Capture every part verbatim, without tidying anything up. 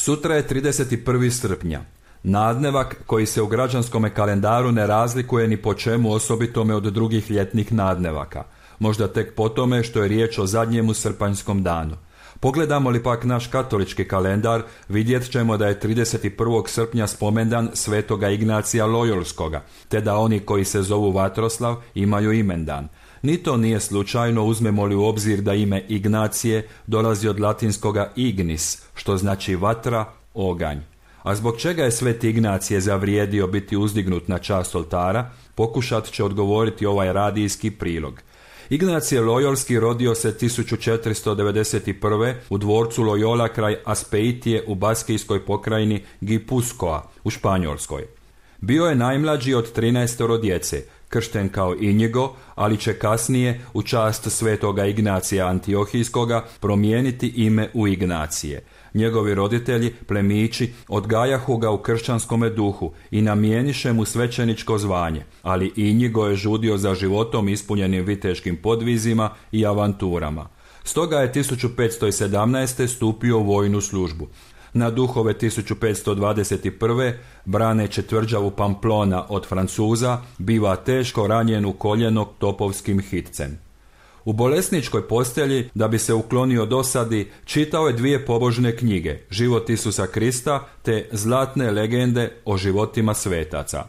Sutra je trideset prvog srpnja. Nadnevak koji se u građanskome kalendaru ne razlikuje ni po čemu osobitome od drugih ljetnih nadnevaka. Možda tek po tome što je riječ o zadnjemu srpanjskom danu. Pogledamo li pak naš katolički kalendar, vidjet ćemo da je trideset prvog srpnja spomendan svetoga Ignacija Lojolskoga, te da oni koji se zovu Vatroslav imaju imendan. Ni to nije slučajno, uzmemo li u obzir da ime Ignacije dolazi od latinskoga ignis, što znači vatra, oganj. A zbog čega je sveti Ignacije zavrijedio biti uzdignut na čast oltara, pokušat će odgovoriti ovaj radijski prilog. Ignacije Lojolski rodio se tisuću četiristo devedeset prve u dvorcu Loyola kraj Aspeitije u baskijskoj pokrajini Gipuzkoa u Španjolskoj. Bio je najmlađi od trinaestoro djece, kršten kao Inigo, ali će kasnije u čast svetoga Ignacija Antiohijskoga promijeniti ime u Ignacije. Njegovi roditelji, plemići, odgajahu ga u kršćanskome duhu i namijeniše mu svećeničko zvanje, ali Inigo je žudio za životom ispunjenim viteškim podvizima i avanturama. Stoga je tisuću petsto sedamnaeste. stupio u vojnu službu. Na duhove tisuću petsto dvadeset prve. braneći tvrđavu Pamplona od Francuza, biva teško ranjen u koljeno topovskim hitcem. U bolesničkoj postelji, da bi se uklonio dosadi, čitao je dvije pobožne knjige, Život Isusa Krista te Zlatne legende o životima svetaca.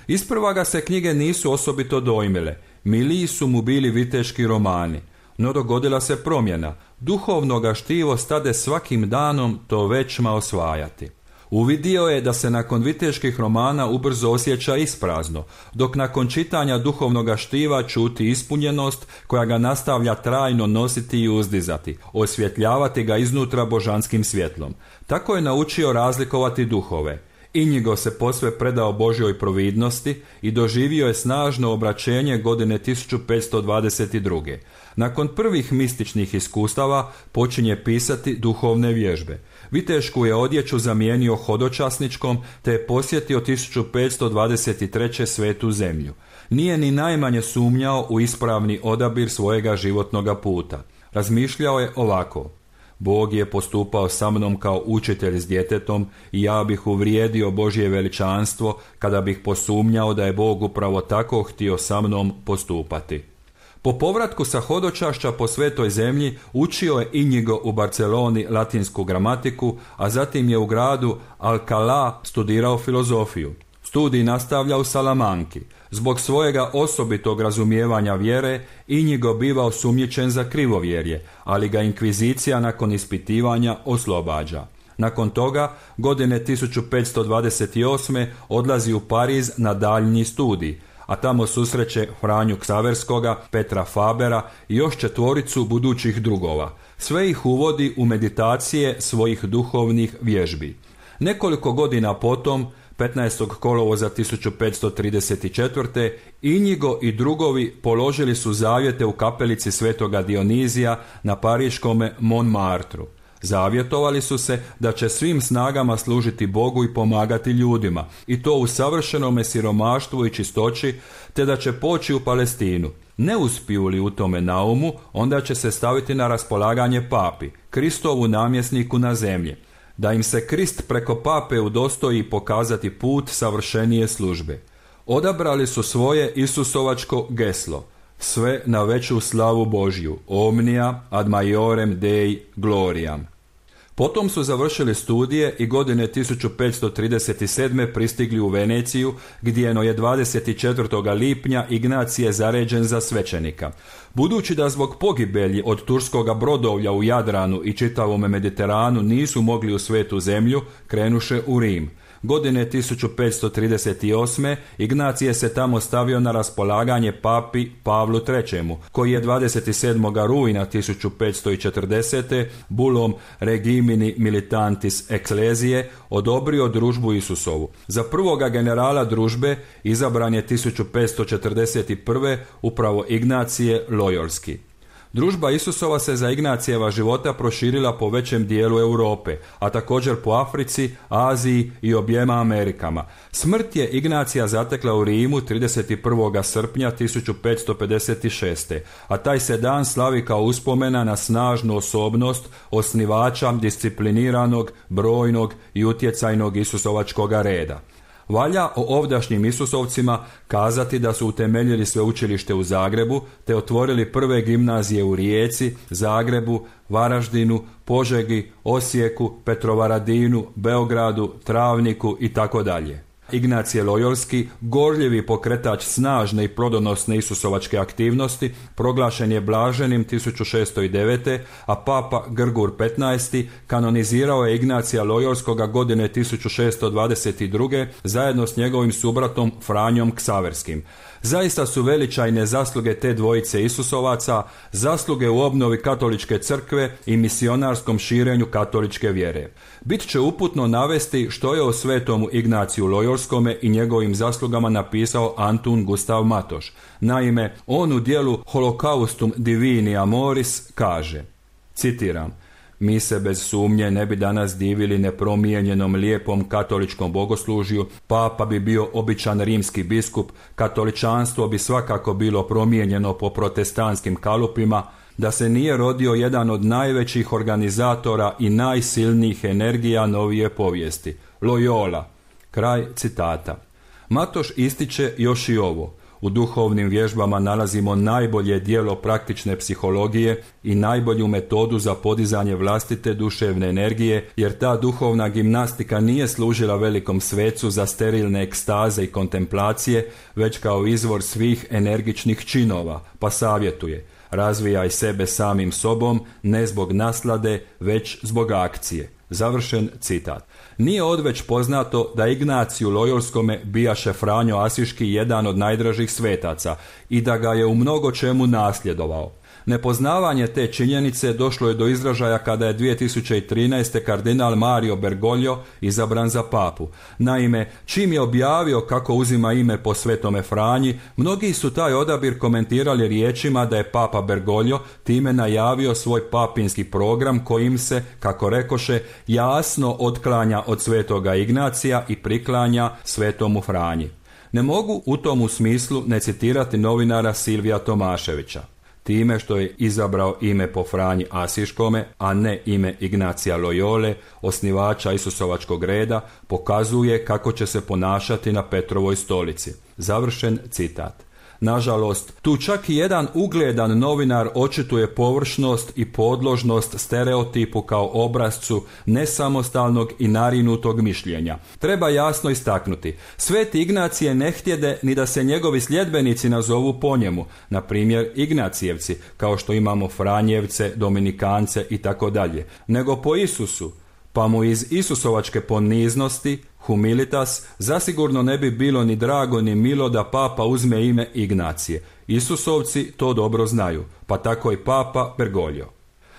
Isprva ga se knjige nisu osobito dojmile, miliji su mu bili viteški romani, no dogodila se promjena, duhovno ga štivo stade svakim danom to većma osvajati. Uvidio je da se nakon viteških romana ubrzo osjeća isprazno, dok nakon čitanja duhovnoga štiva čuti ispunjenost koja ga nastavlja trajno nositi i uzdizati, osvjetljavati ga iznutra božanskim svjetlom. Tako je naučio razlikovati duhove. Inigo se posve predao Božjoj providnosti i doživio je snažno obraćenje godine tisuću petsto dvadeset druge. Nakon prvih mističnih iskustava počinje pisati duhovne vježbe. Vitešku je odjeću zamijenio hodočasničkom te je posjetio tisuću petsto dvadeset treće svetu zemlju. Nije ni najmanje sumnjao u ispravni odabir svojega životnoga puta. Razmišljao je ovako: Bog je postupao sa mnom kao učitelj s djetetom i ja bih uvrijedio Božje veličanstvo kada bih posumnjao da je Bog upravo tako htio sa mnom postupati. Po povratku sa hodočašća po svetoj zemlji učio je Inigo u Barceloni latinsku gramatiku, a zatim je u gradu Alcalá studirao filozofiju. Studij nastavlja u Salamanki. Zbog svojega osobitog razumijevanja vjere, Inigo biva osumnjičen za krivovjerje, ali ga inkvizicija nakon ispitivanja oslobađa. Nakon toga, godine tisuću petsto dvadeset osme. odlazi u Pariz na daljnji studij, a tamo susreće Franju Ksaverskoga, Petra Fabera i još četvoricu budućih drugova. Sve ih uvodi u meditacije svojih duhovnih vježbi. Nekoliko godina potom, petnaestog kolovoza tisuću petsto trideset četvrte. Inigo i drugovi položili su zavjete u kapelici svetoga Dionizija na pariškome Montmartru. Zavjetovali su se da će svim snagama služiti Bogu i pomagati ljudima, i to u savršenome siromaštvu i čistoći, te da će poći u Palestinu. Ne uspiju li u tome naumu, onda će se staviti na raspolaganje papi, Kristovu namjesniku na zemlji, da im se Krist preko pape udostoji pokazati put savršenije službe. Odabrali su svoje Isusovačko geslo: sve na veću slavu Božju, omnia ad maiorem Dei gloriam. Potom su završili studije i godine tisuću petsto trideset sedme. pristigli u Veneciju, gdje je dvadeset četvrtog lipnja Ignacije zaređen za svećenika. Budući da zbog pogibelji od turskoga brodovlja u Jadranu i čitavome Mediteranu nisu mogli u svetu zemlju, krenuše u Rim. Godine tisuću petsto trideset osme. Ignacije se tamo stavio na raspolaganje papi Pavlu trećemu, koji je dvadeset sedmog rujna tisuću petsto četrdesete. bulom Regimini Militantis Ecclesiae odobrio družbu Isusovu. Za prvoga generala družbe izabran je tisuću petsto četrdeset prve. upravo Ignacije Lojolski. Družba Isusova se za Ignacijeva života proširila po većem dijelu Europe, a također po Africi, Aziji i objema Amerikama. Smrt je Ignacija zatekla u Rimu trideset prvog srpnja tisuću petsto pedeset šeste. a taj se dan slavi kao uspomena na snažnu osobnost osnivača discipliniranog, brojnog i utjecajnog Isusovačkoga reda. Valja o ovdašnjim Isusovcima kazati da su utemeljili sveučilište u Zagrebu te otvorili prve gimnazije u Rijeci, Zagrebu, Varaždinu, Požegi, Osijeku, Petrovaradinu, Beogradu, Travniku i tako dalje. Ignacije Lojolski, gorljivi pokretač snažne i plodonosne Isusovačke aktivnosti, proglašen je blaženim tisuću šessto devete. a papa Grgur petnaesti. kanonizirao je Ignacija Lojolskoga godine tisuću šessto dvadeset druge. zajedno s njegovim subratom Franjom Ksaverskim. Zaista su veličajne zasluge te dvojice Isusovaca, zasluge u obnovi katoličke crkve i misionarskom širenju katoličke vjere. Bit će uputno navesti što je o svetomu Ignaciju Lojolskome i njegovim zaslugama napisao Antun Gustav Matoš. Naime, on u dijelu Holocaustum Divini Amoris kaže, citiram: Mi se bez sumnje ne bi danas divili nepromijenjenom lijepom katoličkom bogoslužju, papa bi bio običan rimski biskup, katoličanstvo bi svakako bilo promijenjeno po protestantskim kalupima, da se nije rodio jedan od najvećih organizatora i najsilnijih energija novije povijesti, Loyola. Kraj citata. Matoš ističe još i ovo: u duhovnim vježbama nalazimo najbolje djelo praktične psihologije i najbolju metodu za podizanje vlastite duševne energije, jer ta duhovna gimnastika nije služila velikom svecu za sterilne ekstaze i kontemplacije, već kao izvor svih energičnih činova, pa savjetuje: razvijaj sebe samim sobom, ne zbog naslade, već zbog akcije. Završen citat. Nije odveć poznato da Ignaciju Lojolskome bijaše Franjo Asiški jedan od najdražih svetaca i da ga je u mnogo čemu nasljedovao. Nepoznavanje te činjenice došlo je do izražaja kada je dvije tisuće trinaeste. kardinal Mario Bergoglio izabran za papu. Naime, čim je objavio kako uzima ime po svetome Franji, mnogi su taj odabir komentirali riječima da je papa Bergoglio time najavio svoj papinski program kojim se, kako rekoše, jasno otklanja od svetoga Ignacija i priklanja svetomu Franji. Ne mogu u tomu smislu ne citirati novinara Silvija Tomaševića. Time što je izabrao ime po Franji Asiškome, a ne ime Ignacija Loyole, osnivača Isusovačkog reda, pokazuje kako će se ponašati na Petrovoj stolici. Završen citat. Nažalost, tu čak i jedan ugledan novinar očituje površnost i podložnost stereotipu kao obrazcu nesamostalnog i narinutog mišljenja. Treba jasno istaknuti, Sveti Ignacije ne htjede ni da se njegovi sljedbenici nazovu po njemu, na primjer Ignacijevci, kao što imamo Franjevce, Dominikance i tako dalje, nego po Isusu, pa mu iz Isusovačke poniznosti, humilitas, zasigurno ne bi bilo ni drago ni milo da papa uzme ime Ignacije. Isusovci to dobro znaju, pa tako i papa Bergoglio.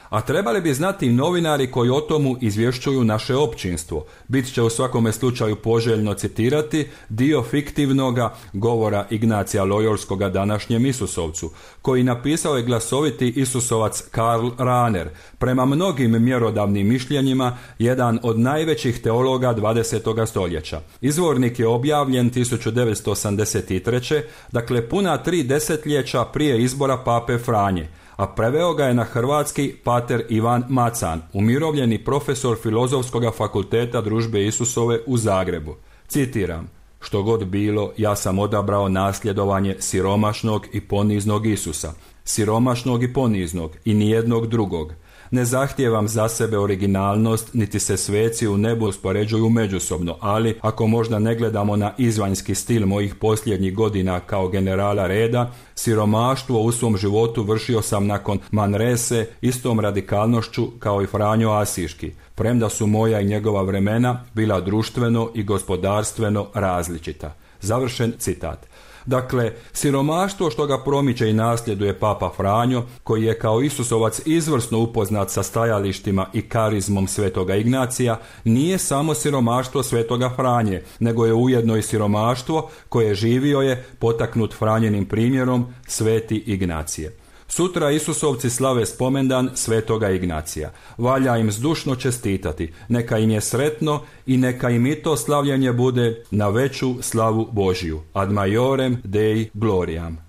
A trebali bi znati i novinari koji o tomu izvješćuju naše općinstvo. Bit će u svakome slučaju poželjno citirati dio fiktivnoga govora Ignacija Lojolskoga današnjem Isusovcu, koji napisao je glasoviti Isusovac Karl Rahner, prema mnogim mjerodavnim mišljenjima jedan od najvećih teologa dvadesetog stoljeća. Izvornik je objavljen tisuću devetsto osamdeset treće. dakle puna tri desetljeća prije izbora pape Franje, a preveo ga je na hrvatski pater Ivan Macan, umirovljeni profesor Filozofskog fakulteta Družbe Isusove u Zagrebu. Citiram: što god bilo, ja sam odabrao nasljedovanje siromašnog i poniznog Isusa, siromašnog i poniznog i nijednog drugog. Ne zahtijevam za sebe originalnost, niti se sveci u nebu uspoređuju međusobno, ali ako možda ne gledamo na izvanjski stil mojih posljednjih godina kao generala reda, siromaštvo u svom životu vršio sam nakon Manrese istom radikalnošću kao i Franjo Asiški, premda su moja i njegova vremena bila društveno i gospodarstveno različita. Završen citat. Dakle, siromaštvo što ga promiče i nasljeduje papa Franjo, koji je kao Isusovac izvrsno upoznat sa stajalištima i karizmom svetoga Ignacija, nije samo siromaštvo svetoga Franje, nego je ujedno i siromaštvo koje živio je, potaknut Franjenim primjerom, sveti Ignacije. Sutra Isusovci slave spomendan svetoga Ignacija. Valja im zdušno čestitati, neka im je sretno i neka im i to slavljenje bude na veću slavu Božju. Ad majorem Dei gloriam.